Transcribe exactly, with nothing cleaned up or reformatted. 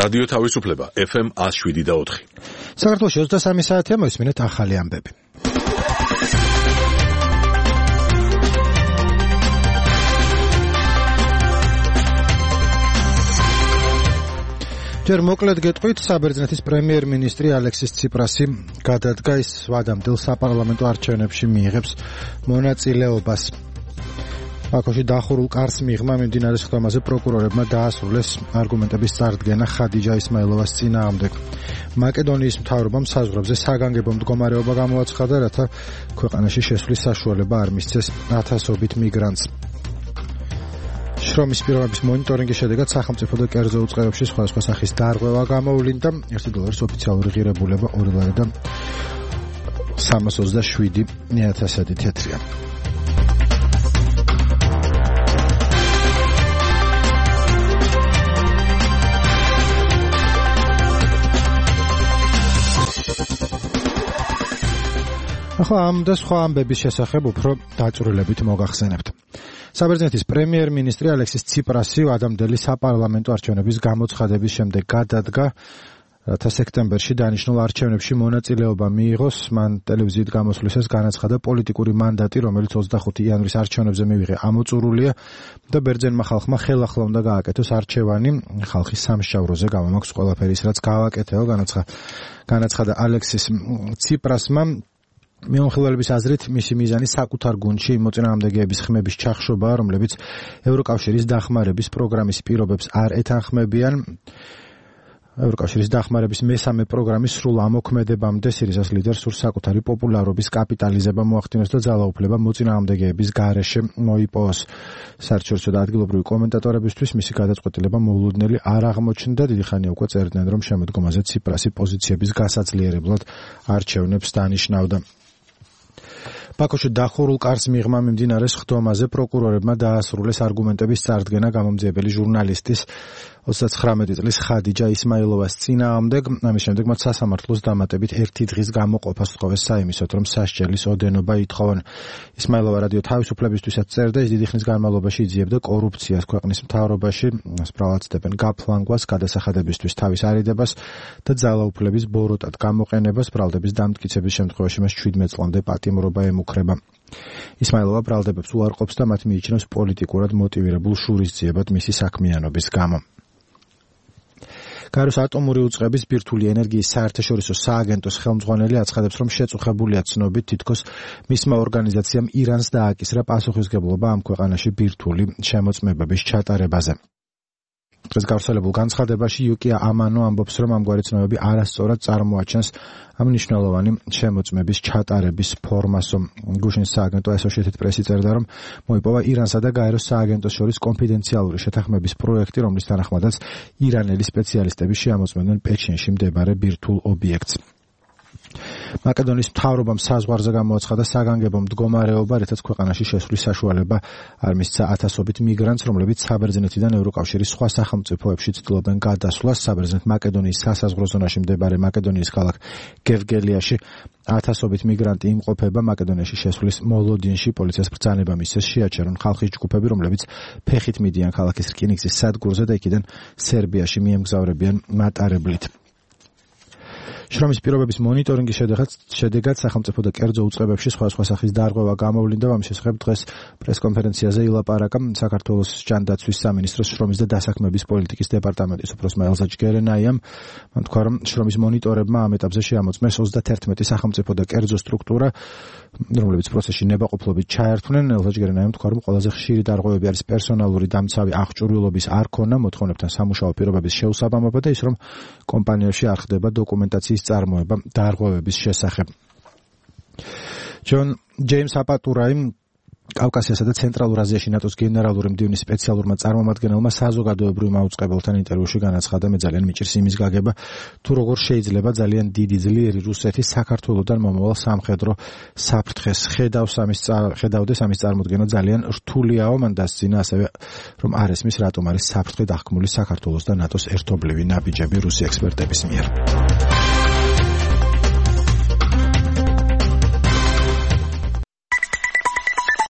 რადიო თავისუფლება ეფ ემ ათას შვიდი და ოთხი. საქართველოში ოცდასამი საათია, მოისმინეთ ახალი ამბები. ჯერ მოკლედ გეტყვით, საბერძნეთის პრემიერ-მინისტრი ალექსის ციპრასი გადადგა ის ვადამდელ საპარლამენტო არჩევნებში მიიღებს მონაწილეობას. ბაქოში დახურულ კარს მიღმა მიმდინარე სხდომაზე პროკურორებმა დაასრულეს არგუმენტების წარდგენა ხადიჯა ისმაილოვას წინააღმდეგ. მაკედონიის მთავრობამ საზღვრებზე საგანგებო მდგომარეობა გამოაცხადა, რათა ქვეყანაში შესვლის საშუალება არ მისცეს ათასობით მიგრანტს. შრომის პირობების მონიტორინგის შედეგად სახელმწიფო და კერძო უწყებებში სხვადასხვა სახის დარღვევა გამოვლინდა. ერთი დოლარის ოფიციალური ღირებულება ორი ლარი და სამას ოცდაშვიდი ათასადი თეთრია. ახლა ამ და სხვა ამბების შესახებ უფრო დაწვრილებით მოგახსენებთ. საბერძნეთის პრემიერ-მინისტრი ალექსის ციპრასი ვადამდელი საპარლამენტო არჩევნების გამოცხადების შემდეგ გადადგა, რათა სექტემბერში დანიშნულ არჩევნებში მონაწილეობა მიიღოს. მან ტელევიზიით გამოსვლისას განაცხადა, პოლიტიკური მანდატი, რომელიც ოცდახუთი იანვრის არჩევნებზე მივიღე, ამოწურულია და ბერძენმა ხალხმა ხელახლა უნდა გააკეთოს არჩევანი. ხალხის სამსჯავროზე გამომაქვს ყველაფერი ის, რაც გავაკეთეო, განაცხადა ალექსის ციპრასმა. მეომხილველების აზრით, მისი მიზანი საკუთარ გუნდში მოწინააღმდეგეების ხმების ჩახშობაა, რომლებიც ევროკავშირის დახმარების პროგრამის პირობებს არ ეთანხმებიან. ევროკავშირის დახმარების მესამე პროგრამის სრულ ამოქმედებამდე სირიზას ლიდერს სურს საკუთარი პოპულარობის კაპიტალიზება მოახდინოს და ძალაუფლება მოწინააღმდეგეების გარეშე მოიპოვოს. საერთაშორისო და ადგილობრივი კომენტატორებისთვის მისი გადაწყვეტილება მოულოდნელი არ აღმოჩნდა. დიდი ხანია უკვე წერდნენ, რომ შემოდგომაზე ციპრასი პოზიციების გასაძლიერებლად არჩევნებს დანიშნავდა. ბაქოში დახურულ კარს მიღმა მიმდინარე სხდომაზე პროკურორებმა დაასრულეს არგუმენტების წარდგენა გამომძიებელი ჟურნალისტის ოცდაცხრამეტი წლის ხადიჯა ისმაილოვას წინააღმდეგ. ამის შემდეგ მათ სასამართლოს დამატებით ერთი დღის გამოყოფას სთხოვეს საიმისოდ, რომ სასჯელის ოდენობა ითხოვონ. ისმაილოვა რადიო თავისუფლებისთვისაც წერდა, ის დიდი ხნის განმავლობაში იძიებდა კორუფციას ქვეყნის მთავრობაში, სპრავაცდებენ გაფლანგვას, გადასახადებისთვის თავის არიდებას და ძალაუფლების ბოროტად გამოყენებას. ბრალდების დამტკიცების შემთხვევაში მას შვიდმეტ წლამდე პატიმრობა ემუქრება. ისმაილოვა ბრალდებებს უარყოფს და მათ მიიჩნევს პოლიტიკურად მოტივირებულ შურისძიებად მისი საქმიანობის გამო. გაეროს ატომური უწყების ბირთვული ენერგიის საერთაშორისო სააგენტოს ხელმძღვანელი აცხადებს, რომ შეწუხებულია ცნობით, თითქოს მისმა ორგანიზაციამ ირანს დააკისრა პასუხისმგებლობა ამ ქვეყანაში ბირთვული შემოწმებების ჩატარებაზე. დღეს გავრცელებულ განცხადებაში იუკია ამანო ამბობს, რომ ამგვარი ცნობები არასწორად წარმოაჩენს ამ მნიშვნელოვანი შემოწმების ჩატარების ფორმასო. გუშინ სააგენტო Associated Press წერდა, რომ მოიპოვა ირანსა და გაეროს სააგენტოს შორის კონფიდენციალური შეთანხმების პროექტი, რომლის თანახმადაც ირანელი სპეციალისტები შეამოწმებდნენ პეჩინში მდებარე ბირთვულ ობიექტს. მაკედონიის მთავრობამ საზღვარზე გამოაცხადა საგანგებო მდგომარეობა, რითაც ქვეყანაში შესვლის საშუალება არ მისცა ათასობით მიგრანტს, რომლებიც საბერძნეთიდან ევროკავშირის სხვა სახელმწიფოებში ცდილობენ გადასვლას. საბერძნეთ-მაკედონიის სასაზღვრო ზონაში მდებარე მაკედონიის ქალაქ გევგელიაში ათასობით მიგრანტი იმყოფება. მაკედონიაში შესვლის მოლოდინში პოლიციას ბრძანება მისცეს შეაჩერონ ხალხის ჯგუფები, რომლებიც ფეხით მიდიან ქალაქის რკინიგზის სადგურზე და იქიდან სერბიაში მიემგზავრებიან მატარებლით. შრომის პირობების მონიტორინგის შედეგად შედეგად სახელმწიფო და კერძო უწყებებში სხვადასხვა სახის დარღვევა გამოვლინდა. ამის შესახებ დღეს პრესკონფერენციაზე ილაპარაკა საქართველოს ჯანდაცვის სამინისტროს შრომის და დასაქმების პოლიტიკის დეპარტამენტის უფროსმა ელზა ჯგერენაიამ. მან თქვა, რომ შრომის მონიტორებმა ამ ეტაპზე შეამოწმეს ოცდათერთმეტი სახელმწიფო და კერძო სტრუქტურა, რომლებიც პროცესში ნებაყოფლობით ჩაერთვნენ. ელზა ჯგერენაიამ თქვა, რომ ყველაზე ხშირი დარღვევები არის პერსონალური დამცავი აღჭურვილობის არქონა, მოთხოვნებთან სამუშაო პირობების შეუსაბამობა და ის, რომ კომპანიაში არ ხდება დოკუმენტაციის წარმოება დარღვევების შესახებ. ჯონ ჯეიმს აპატურაიმ კავკასიასა და ცენტრალურ აზიაში ნატოს გენერალური მდივნის სპეციალურმა წარმომადგენელმა საზოგადოებრივ მაუწყებელთან ინტერვიუში განაცხადა, მე ძალიან მიჭირს იმის გაგება, თუ როგორ შეიძლება ძალიან დიდი ძლიერი რუსეთი საქართველოსთან მომავალ სამხედრო საფრთხეს ხედავს ამის ხედავდეს ამის წარმოქმნა ძალიან რთულიაო. მან დასძინა ასევე, რომ არ ესმის რატომ არის საფრთხე დახკმული საქართველოს და ნატოს ერთობლივი ნაბიჯები რუსი ექსპერტების მიერ.